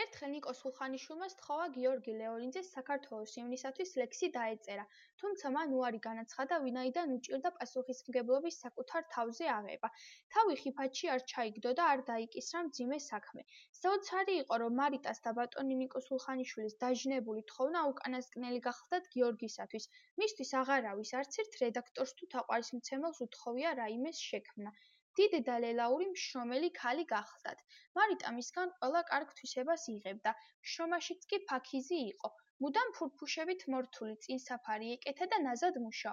ერთხელ ნიკო სულხანიშვილმა სთხოვა გიორგი ლეოლინძეს საქართველოს ივნისათვის ლექსი დაეწერა, თუმცა მან უარი განაცხადა, ვინაიდან უჭირდა პასუხისმგებლობის საკუთარ თავზე აღება. თავი ხიფათში არ ჩაიგდო და არ დაიკისრა მძიმე საქმე. საოცარი იყო, რომ მარიტას და ბატონი ნიკო სულხანიშვილის დაჟინებული თხოვნა უკანასკნელი გახლდათ გიორგისათვის. მისთვის აღარავის არც ერთ რედაქტორს თუ თაყვანისმცემელს უთხოვია რაიმეს შექმნა. დიდი და ლელაური მშრომელი ქალი გახლდათ. მარიტა მისგან ყველა კარგ თვისებას იღებდა. შრომაშიც კი ფაქიზი იყო. მუდამ ფურფუშებით მორთული წინსაფარი ეკეთა და ნაზად მუშაობდა.